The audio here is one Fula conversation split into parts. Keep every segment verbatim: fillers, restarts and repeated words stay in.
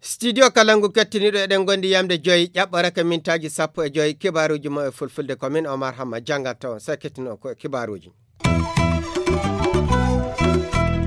Studio Kalangu kettiniiɗo, eɗen ngondi yamde joyi ƴaɓɓoraka mintaaji sappo e joyi. Kibaaruuji mo e fulfulde ko min Omar Hamma janngata on, sey kettino ko e kibaaruuji.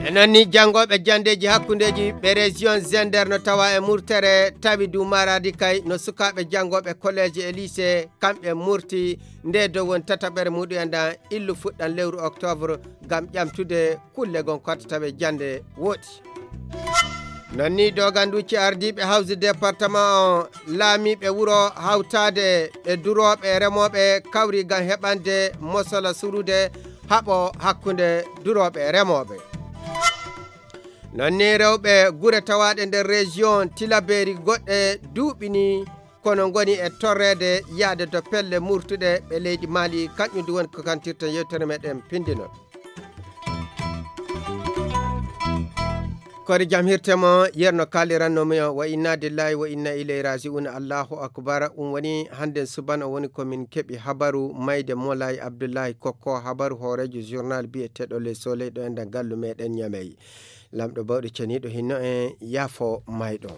E noon ni, janngooɓe janndeeji hakkundeeji ɓe région Zender no tawa e murtere tawi du Maradi kay no sukaaɓe janngooɓe collège e lycée, kamɓe murti nde dow woni tataɓere muɗum en ɗan illu fuɗɗan lewru octobre ngam ƴamtude kulle gon kotta tawe jannde woɗi. Noon ni doganduuji ardiiɓe hawsi département on, laamiiɓe wuro hawtaade e durooɓe e remooɓe kawri ngam heɓande mosola surude haɓo hakkunde durooɓe e remooɓe. Noon ni rewɓe gure tawaaɗe nder région Tilaberi goɗɗe duuɓi ni kono ngoni e torreede yaade to pelle murtuɗe ɓe leydi Mali, kañum du woni ko kantirten yewtere meɗen pindinol. Kori jam hirte mo, yerno kaaliranno mi o, wa inna lillahi wa inna ilayhi raji'un, Allahu akbar. Ɗum woni hannden subana woni ko min keɓi habaru mayde Molay Abdullahi Kokko, habaru hooreejo journal biyeteeɗo Le Soleil ɗo e nder gallu meɗen Ñamey. Lamɗo bawɗo ceniiɗo hinno en yaafo mayɗo.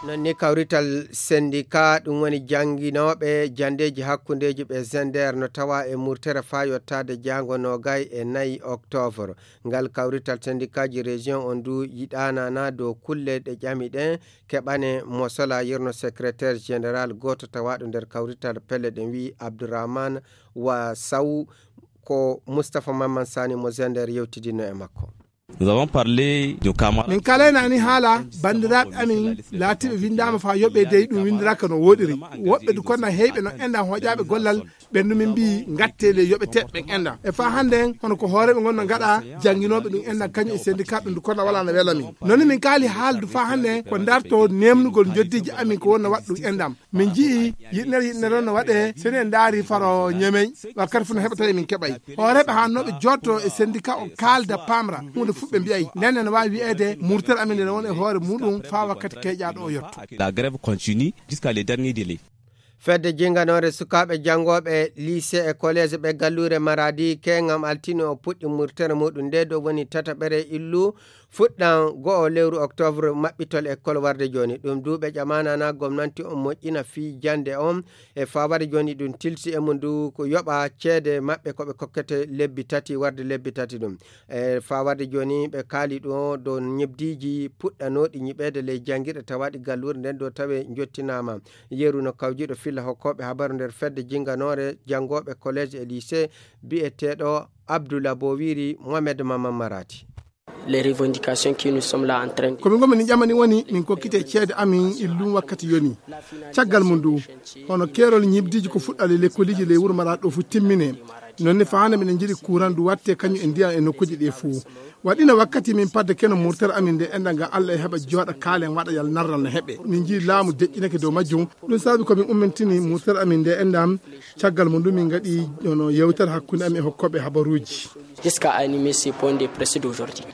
Noon ni kawrital sendika ɗum woni jannginooɓe janndeeji hakkundeeji ɓe Zender no tawa e murtere faa yottaade jaango noogay e nayi octobre. Ngal kawrital sendikaaji région on du yiɗaanana dow kulle ɗe ƴami ɗen keɓane mosola yerno secrétaire général gooto tawaaɗo nder kawrital pelle ɗen wi'i Abdourahmane wa Saw ko Moustapha Mamman Sani mo Zender yewtidino e makko. Nous avons parlé de camarades. Min kalaynaani haala banndiraaɓe amin laatiiɓe winndaama faa yoɓee dey ɗum winndiraaka no wooɗiri. Woɓɓe du konna heyɓe no enɗan hoƴaaɓe gollal ɓen du min mbii ngattee ley yoɓeteeɓe ɓen enɗan. E faa hannden hono ko hooreeɓe ngon no ngaɗa jannginooɓe ɗum enɗan kañum e sendikaaɓe ɗum du konna walaa no wela min. Noon min kaali haaldu faa hannden ko ndartoo neemnugol njoddiiji amin ko wonno waɗa ɗum enɗan. Min nji'i yiɗnere yiɗnere on no waɗee, so en ndaari faro Ñemey, wakkati fof no heɓata emin keɓay. Hooreeɓe haannooɓe jooɗto e sendika o kaalda paamra, huunde fof ɓe mbi'ay. Nden ne no waawi wi'eede murtere amin nde won e hoore muuɗum faa wakkati keƴaaɗo o yotto. La grève continue jusqu'à le dernier délai. Fedde jinganoore sukaaɓe janngooɓe lycée e collège ɓe galluure Maradi keŋŋam altine o puɗɗi murtere muuɗum nde ɗo woni tataɓere illu fuɗɗan go'o lewru octobre maɓɓitol école warde jooni. Ɗum du ɓe ƴamaanana gomnanti on moƴƴina fii jannde on e faa warde jooni ɗum tilsi e mum du ko yoɓa ceede maɓɓe ko ɓe kokkete lebbi tati warde lebbi tati ɗum. E faa warde jooni ɓe kaali ɗo dow ñebdiiji puɗɗanooɗi ñiɓeede ley janngirɗe tawaaɗi galluure nden ɗo tawe njottinaama. Yeru no kawjiiɗo filla hokkooɓe habaru nder fedde jinnganoore janngooɓe collège e lycée bi'eteeɗo Abdoula Bowiri Mohamed Mama Marati. Les revendications que nous sommes là en train de... Ko min ngonmi ni ƴamani woni min kokkite ceede amin illum wakkati yoni. Caggal mum du, hono keerol ñibdiiji ko fuɗɗa ley lekkoliiji ley wuro Maraɗi ɗo fu timmine. Noon ne fahaande miɗen njiɗi kuuran du watte kañum e ndiyam e nokkuuji ɗi fuu. Waɗino wakkati min padde keno murtere amin nde enɗan ngam Allah e heɓa jooɗa kaalen waɗa yal narral no heɓe. Min njii laamu deƴƴinake dow majjum. Ɗum saabi ko min ummintini murtere amin nde enɗan. Caggal mum du min ngaɗi hono yewtere hakkunde amin e hokkooɓe habaruuji. Jusqu'à animer ce point de presse d'aujourd'hui.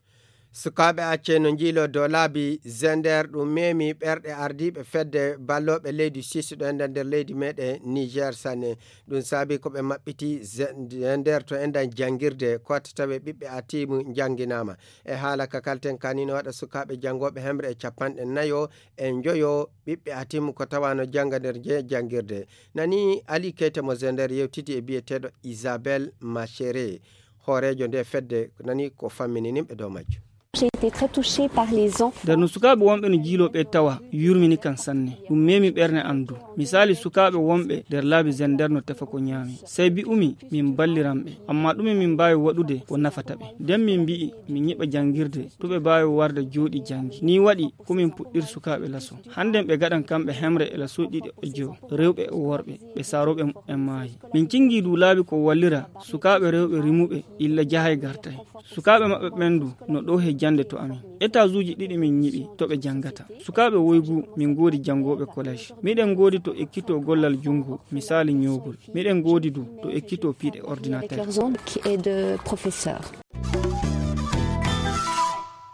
Sukaaɓe accee no njiiloo dow laabi Zender, ɗum meemi ɓerɗe ardiiɓe fedde ballooɓe leydi sisɗo enɗan nder leydi meɗen Niger sanne. Ɗum saabi ko ɓe maɓɓiti Zender to enɗan janngirde, ko tawe ɓiɓɓe atiimu njannginaama. E haala ka kalten kani no waɗa sukaaɓe janngooɓe hemre e capanɗe nayo e njoyo ɓiɓɓe atiimu ko tawa no jannga nder je janngirde. Nani Ali Keita mo Zender yewtidi e biyeteeɗo Isabelle Machere, hooreejo nde fedde, nani ko fammini nimɓe dow majjum. J'ai été très touchée par les enfants. Nder no sukaaɓe wonɓe no jiiloo ɓe tawa yurmini kan sanne. Ɗum meemi ɓernde am du. Misaali sukaaɓe wonɓe nder laabi Zender no tefa ko ñaami. Sey bi'umi min balliran ɓe. Ammaa ɗume min mbaawi waɗude ko nafata ɓe? Nden min mbi'i min ñiɓa janngirde to ɓe mbaawi warda jooɗi janngi. Nii waɗi ko min puɗɗir sukaaɓe laso. Hannden ɓe gaɗan kamɓe hemre e laso ɗiɗi e jowo, rewɓe e worɓe, ɓe saarooɓe muɓɓen maayi. Min cinngii du laabi ko wallira sukaaɓe rewɓe rimuɓe illa jahay gartay. Sukaaɓe maɓɓe ɓen du no ɗo he jannde to amin. Étage'uuji ɗiɗi min ñiɓi to ɓe janngata. Sukaaɓe woygu min ngoodi janngooɓe collège. Miɗen ngoodi to ekkitoo gollal junngo, misaali ñoogol. Miɗen ngoodi du to ekkitoo piiɗe ordinateur. Avec leurs ongles et de professeurs.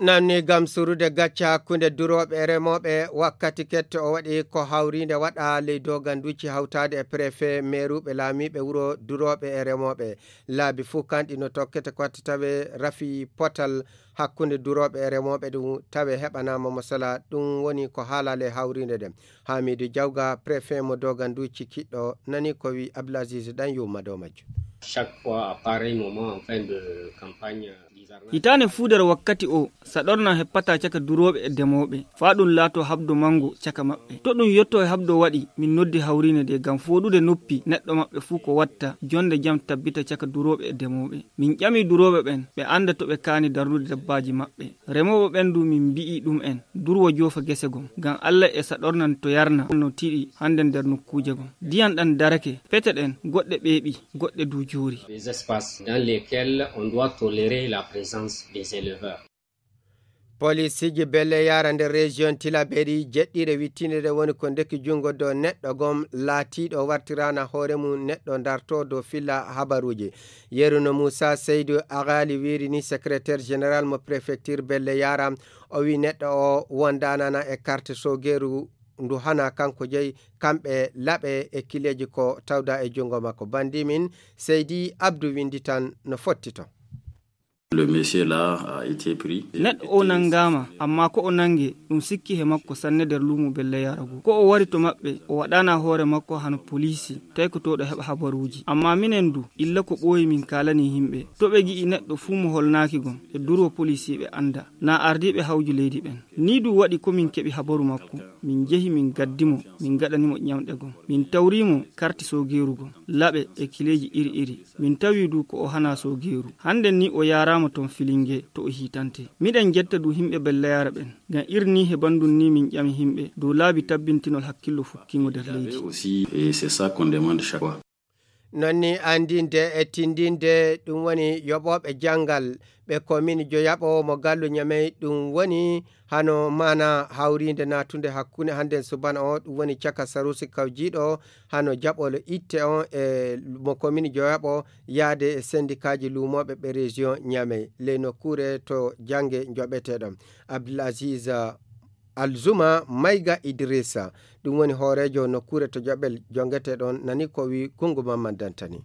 Nanni gam surude gacce hakkunde durooɓe e remooɓe, wakkati kette o waɗi ko hawriinde waɗa ley doganduuji hawtaade e prefe, meeruuɓe, laamiiɓe wuro, durooɓe e remooɓe. Laabi fuu kanɗi no tokkete ko watti tawe rafi potal hakkunde durooɓe e remooɓe ɗum tawe heɓanaama mo sala. Ɗum woni ko haalaale hawriinde ɗen. Hamidu Jawga, prefe mo doganduuji kiɗɗo, nani ko wi Abdulaziz ɗan yumma dow majjum. Chaque fois à pareil moment en fin de campagne, hitaande fuu nder wakkati o, saɗorna heppata caka durooɓe e demooɓe, faa ɗum laatoo habdo manngo caka maɓɓe. To ɗum yotto e habdo waɗi, min noddi hawriine nde ngam fooɗude noppi neɗɗo maɓɓe fuu ko watta, jonde jam tabbita caka durooɓe e demooɓe. Min ƴami durooɓe ɓen, ɓe annda to ɓe kaani darnude dabbaaji maɓɓe. Remooɓe ɓen du min mbi'i ɗum'en, durwo joofa gese gom, ngam Alla e saɗornan to yarna no tiiɗi hande nder nokkuuje gom. Diyan ɗan darake, pete ɗen, goɗɗe ɓeeɓi, goɗɗe du joori. Des espaces dans lesquels on doit tolérer la présence des éleveurs. Polisiji Belle Yara nder région Tilaberi jeɗɗire wittinde ɗe woni ko ndeki junngo dow neɗɗo gom laatiiɗo wartiraana hoore mum neɗɗo darto dow filla habaruuji. Yeruno Moussa Seydou Agali wiiri ni secrétaire général mo préfecture Belle Yara, o wi neɗɗo o wondanana e carte sogeeru ndu hana kanko jeyi kamɓe laɓe e kileeji ko tawda e junngo makko. Bandi min Seydi Abdou windi tan no fotti ton. Le monsieur là a été pris. Neɗɗo o nanngaama, ammaa ko o nannge, ɗum sikki he makko sanne nder luumo Belle Yara ngu. Ko o wari to maɓɓe, o waɗaana hoore makko hano poliisi, taykotooɗo heɓa habaruuji. Ammaa minen du, illa ko ɓooyi min kaalanii himɓe. To ɓe gi'i neɗɗo fuu mo holnaaki gom, ɓe durwo poliisiiɓe annda, naa ardiiɓe hawju leydi ɓen. Nii du waɗi ko min keɓi habaru makko, min jehi min gaddi mo, min gaɗani mo ƴamɗe gom. Min tawri mo karti soogeeru gom, laɓe e kileeji iri iri. Min tawi du ko o hana soogeeru. Hande ni o yaaraama ton Filinge to o hiitante. Miɗen jetta du himɓe Belle Yara ɓen. Ngam iri ni he bandun ni min ƴami himɓe dow laabi tabbintinol hakkillo fukkingo nder leydi. Aussi, et c'est ça qu'on demande chaque fois. Non ni andinde e tindinde ɗum woni yoɓooɓe janngal ɓe komin joyaɓo mo gallu Ñamey, ɗum woni hano maana hawriinde naatunde hakkunde hannden subana o, ɗum woni caka Sarusi Kawjiiɗo hano jaɓolo itte on e mo komin joyaɓo yaade e sendikaaji luumooɓe ɓe région Ñamey, ley nokkuure to jannge joɓeteɗon. Abdul Aziz Alzuma Mayga Idrissa, ɗum woni hooreejo nokkuure to Joɓel jongetee ɗon, nani ko wi Kunngu Mamman Dantani.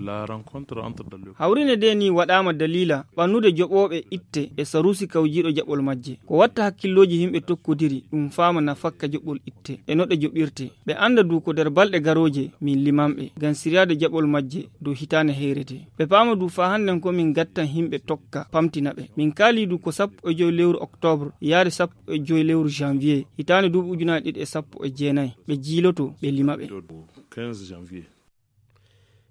La rencontre entre Dallio. Hawrine de ni waɗaama daliila ɓannude joɓooɓe itte e Sarusi Kawjiiɗo jaɓol majje. Ko watta hakkillooji yimɓe tokkodiri, ɗum faama nafakka joɓol itte e no ɗe joɓirte. Ɓe annda du ko nder balɗe garooje min limanɓe ngam siryaade jaɓol majje dow hitaande heyrete. Ɓe paama du faa hannden ko min ngattan yimɓe tokka pamtina ɓe. Min kaali du ko sappo e joy lewru octobre yaade sappo e joy lewru janvier hitaande duuɓi ujunaaji ɗiɗi e sappo e jeenayi ɓe jiiloto ɓe lima ɓe.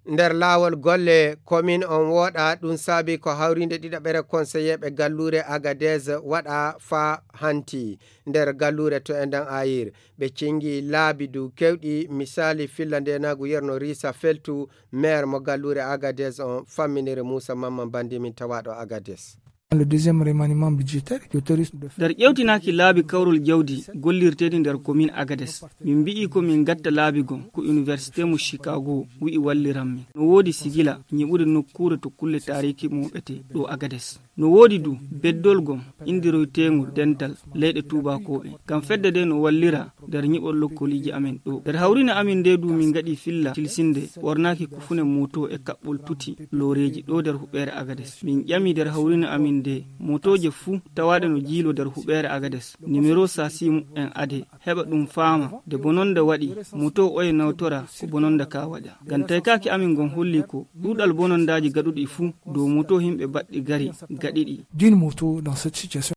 Nder laawol golle komin on wooɗa, ɗum saabi ko hawriinde ɗiɗaɓere konseyeeɓe galluure Agadez waɗa faa hanti nder galluure to endan ayir. Ɓe cingi laabi du kewɗi, misaali filla ndeenaagu yerno Risa Feltu, maire mo galluure Agadez on, famminere Muusa Mamman Bandi min tawaaɗo Agadez. Le deuxième remaniement budgétaire qui autorise de faire. Nder ƴewtinaaki laabi kawrol jawdi gollirteeɗi nder commune Agadez, min mbi'i ko min gatta laabi gom ko université mo Chicago wi'i walliran min. No woodi sigila nyiɓude nokkuure to kulle taariki mooɓete ɗo Agadez. No woodi du beddol gom indirowteengol dental leyɗe tuubakooɓe. Ngam fedde de no wallira nder nyiɓol lokkoliiji amen ɗo. Nder hawrine amin nde du min ngaɗi filla tilsinde ɓornaaki kufune moto e kaɓɓol tuti looreeji ɗo nder huɓeere Agades. Min ƴami nder hawrine amin nde motooje fuu tawaaɗe no jiilo nder huɓeere Agades, nimero sasi mu'en ade, heɓa ɗum faama nde bononda waɗi, moto oye nawtora ko bononda ka waɗa. Ngam taykaaki amin ngon holli ko ɗuuɗal bonondaaji gaɗuɗi fuu dow moto yimɓe baɗɗi gari gaɗiɗi. D'une moto dans cette situation.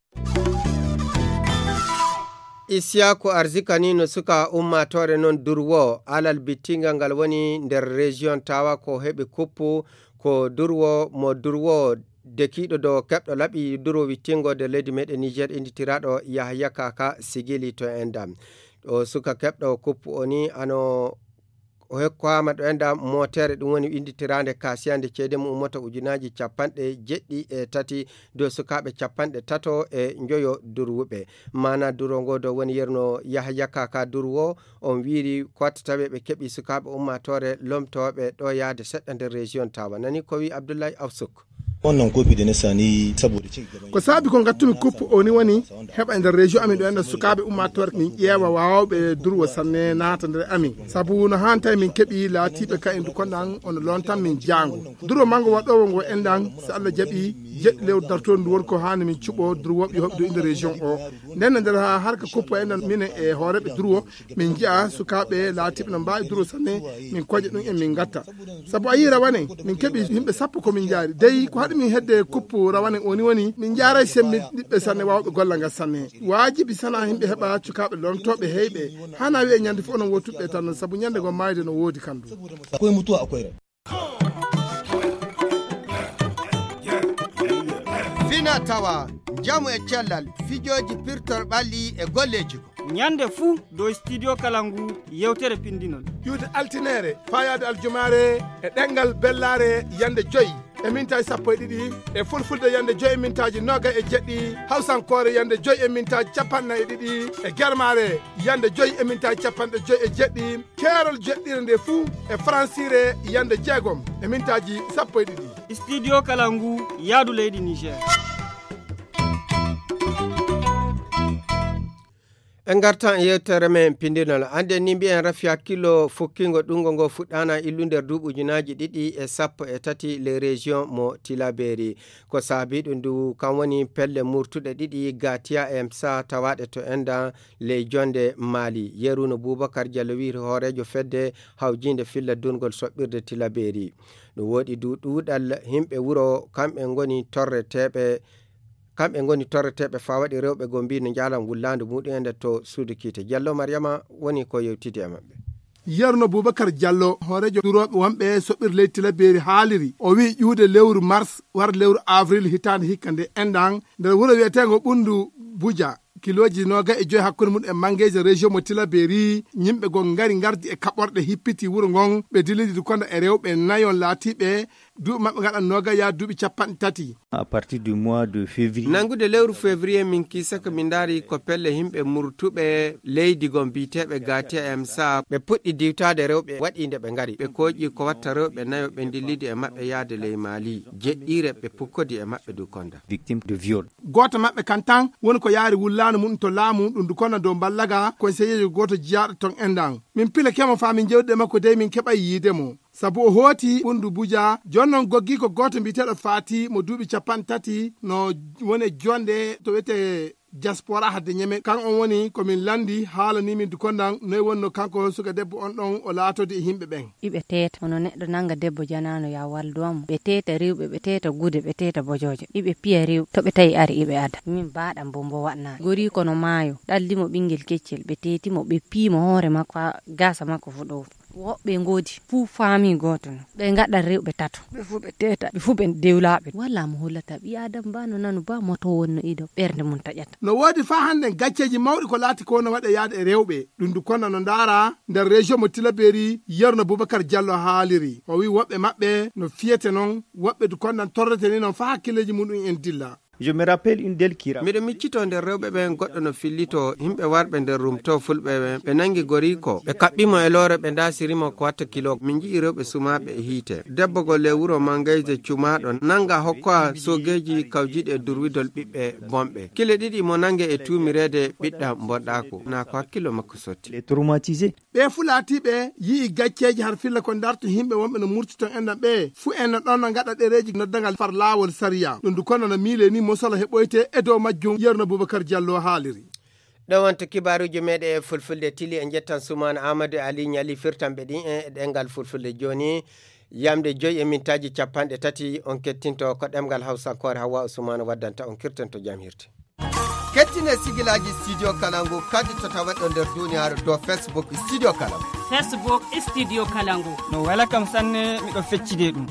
Isiyaaku Arzika ni no suka ummaatoore non Durwo, alal bittingal ngal woni nder région Tawa ko heɓi kuppu ko Durwo mo Durwo dekiiɗo dow keɓɗo laɓi Durwo wittingo nder leydi meɗen Niger, inditiraaɗo Yahya Kaka Sigili to Enda. O suka keɓɗo kuppu o ni ano o hokkaama ɗo enda mootere, ɗum woni winnditiraande kaasiyande ceede mum ummata ujunaaji capanɗe jeɗɗi e tati dow sukaaɓe capanɗe tato e njoyo durwuɓe. Maana durwo ngo dow woni yerno Yahya Kaka Durwo, on wiiri ko watta tawe ɓe keɓi sukaaɓe ummaatoore lomtooɓe ɗo yaade seɗɗa nder région Tawa. Nani ko wi Abdullahi Afsuk. On non kopi de ne sani saboda ci gaba. Ko saabi ko ngattumi kuppu o ni woni heɓa e nder région amin ɗo enɗan sukaaɓe ummaatoore min ƴeewa waawɓe durwo sanne naata nder amin. Sabu no haantay min keɓi laatiiɓe ka en dukonɗan ono lontan min jaango. Durwo mango waɗoowo ngo enɗan so Allah jaɓi jeɗɗi lewru dartoondu woni ko haani min cuɓo durwooɓe hoɓdo inde région o. Nden no nder haa harka kuppu enɗan minen e hooreeɓe durwo min nji'a sukaaɓe laatiiɓe no mbaawi durwo sanne min koƴa ɗum en min ngatta. Sabu a yii rawane min keɓi yimɓe sappo ko min njaari. Dey ko haɗi min hedde kuppu rawane o ni woni min njaaray semmbinɗiɓɓe sanne waawɓe golla ngal sanne. Waajibi sana yimɓe heɓa cukaaɓe lomtooɓe heyɓe. Hana wi'e ñande fof onon wottuɓe tan sabu ñande ngo maayde no woodi kandu. Akwai mutuwa akwai rai. Fina tawa, njamu e cellal, fijooji pirtor ɓalli e golleeji. Ñande fuu dow studio kala ngu yewtere pindinol. Ƴuwde altineere, faayaade aljumaare e ɗemngal bellaare yande joy e mintaaji sappo e ɗiɗi, e fulfulde yande joy e mintaaji noogay e jeɗɗi, hawsankoore yande joy e mintaaji capanɗe nayi e ɗiɗi, e germaare yande joy e mintaaji capanɗe joy e jeɗɗi, keerol jeɗɗire nde fuu e faransiire yande jeegom e mintaaji sappo e ɗiɗi. Studio kala ngu yaadu leydi Niger. En ngartan e yewtere men pindinol. Annde ni mbiyen rafi hakkillo fukkingo ɗungo ngo fuɗɗaana illu nder duuɓi ujunaaji ɗiɗi e sappo e tati les régions mo Tilaberi. Ko saabi ɗum ndu kam woni pelle murtuɗe ɗiɗi Gatia e Msa tawaaɗe to enda ley jonde Mali. Yeruno Boubacar Diallo wiiri hooreejo fedde hawjinde filla durngol soɓɓirde Tilaberi. Ɗum woɗi du ɗuuɗal yimɓe wuro kamɓe ngoni torreteeɓe kamɓe ngoni torreteeɓe faa waɗi rewɓe goo mbii no njaalan wullaandu muɗum en to suudu kiite. Jallo Mariama woni ko yewtidi e maɓɓe. Yerno Boubacar Diallo, hooreejo durooɓe wonɓe soɓɓir leydi Tilaberi haaliri. O wi'i ƴuude lewru mars war lewru avril hitaande hikka nde enɗan nder wuro wi'eteengo Ɓunndu Buja, kilooji noogay e joy hakkunde mum e Mangeeje région mo Tilaberi, yimɓe goo ngari ngardi e kaɓorɗe hippiti wuro ngon, ɓe dilidi konda e rewɓe nayon laatiiɓe duuɓi maɓɓe ngaɗa noogay yaa duuɓi capanɗe tati. À partir du mois de février. Nanngude lewru février min kiisa ko min ndaari ko pelle yimɓe murtuɓe leydi goo biyeteeɓe Gatia M S A, ɓe puɗɗi diwtaade rewɓe waɗi nde ɓe ngari. Ɓe kooƴi ko watta rewɓe nayo ɓe ndillidi e maɓɓe yaade ley Mali. Jeɗɗiire ɓe pukkodi e maɓɓe du konda. Victime de viol. Gooto maɓɓe kan tan woni ko yaari wullaano mum to laamu ɗum du konda dow mballaga konseyeejo gooto jiyaaɗo ton enɗan. Min pilake mo faa min jewtude e makko dey min keɓay yiide mo. Sabu o hooti Ɓunndu Buja, jooni noon goggii ko gooto mbiyeteeɗo Faati mo duuɓi capanɗe tati no woni e jonde to wiyetee Diaspora hadde Ñeme. Kan on woni ko min lanndi haalanii min du kondan noy wonnoo kanko suka debbo on ɗon o laatodi e yimɓe ɓen. Iɓe teeta, hono neɗɗo nannga debbo janaano ya waldowa mo. Ɓe teeta rewɓe, ɓe teeta gude, ɓe teeta bojooje. Iɓe piya rewɓe, to ɓe tawi ari iɓe ada. Min baaɗam bo mbo waɗnaani. Gorii kono maayo, ɗalli mo ɓinngel keccel, ɓe teeti mo, ɓe pii mo hoore makko, haa gaasa makko fu ɗowti. Woɓɓe ngoodi fuu faami gooto no. Ɓe ngaɗa rewɓe tato. Ɓe fuu ɓe teeta, ɓe fuu ɓe dewlaaɓe. Walaa mo hollata ɓii Aadama ba no nanu ba moto wonno ido ɓernde mum taƴata. No woodi faa hannden gacceeji mawɗi ko laati ko no waɗe yaade e rewɓe. Ɗum du konda no ndaara nder région mo Tilaberi, Yerno Boubacar Diallo haaliri. O wi'i woɓɓe maɓɓe no fiyete noon, woɓɓe du kondan torrete ni noon faa hakkileeji muɗum en dilla. Je me rappelle une d'elle qui ra- Miɗo miccitoo nder rewɓe ɓen goɗɗo no fillitoo yimɓe warɓe nder rumtoo fulɓe ɓen. Ɓe nangi goriiko, ɓe kaɓɓi mo e loore, ɓe ndaasiri mo ko watta kilo. Min nji'i rewɓe sumaaɓe e hiite. Debbo goo ley wuro Mangayse cumaaɗo nanga hokkoa soogeeji kawjiiɗi e durwidol ɓiɓɓe bonɓe. Kile ɗiɗi mo nange e tuumireede ɓiɗɗa bonɗaaku. Naa ko hakkillo makko sotti. Les traumatisés. Ɓee fu laatiiɓe yi'i gacceeji har filla ko ndarto yimɓe wonɓe no murti ton enɗan ɓee. Fu en no ɗon no ngaɗa ɗereeji noddangal far laawol sariya. Ɗum du kono no miile ni mosala heɓoyte e dow majjum, Yerno Boubacar Diallo haaliri. Ɗo wonta kibaaruuji meeɗen e fulfulde tili. En njettan Sumaana Amadou e Ali Ñali firtanɓe ɗin e ɗemngal fulfulde. Jooni yamde joy e mintaaji capanɗe tati on kettinto ko ɗemngal Hawsankoore Hawwa Usmaana waddanta on kirtanto jam hirte. Kettine sigilaaji Studio Kalangu kadi to taweɗo nder duniyaaru dow Facebook Studio Kalangu. Facebook Studio Kalangu. No wela kam sanne, miɗo feccide ɗum.